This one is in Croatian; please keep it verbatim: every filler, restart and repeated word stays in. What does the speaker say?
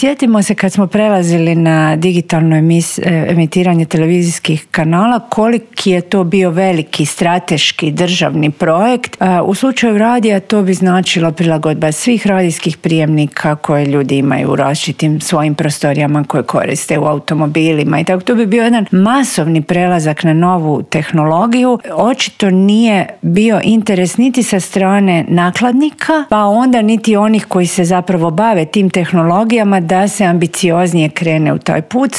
sjetimo se kad smo prelazili na digitalno emis, emitiranje televizijskih kanala, koliki je to bio veliki strateški državni projekt. U slučaju radija to bi značilo prilagodba svih radijskih prijemnika koje ljudi imaju u različitim svojim prostorijama koje koriste u automobilima i tako. To bi bio jedan masovni prelazak na novu tehnologiju. Očito nije bio interes niti sa strane nakladnika, pa onda niti onih koji se zapravo bave tim tehnologijama da se ambicioznije krene u taj put.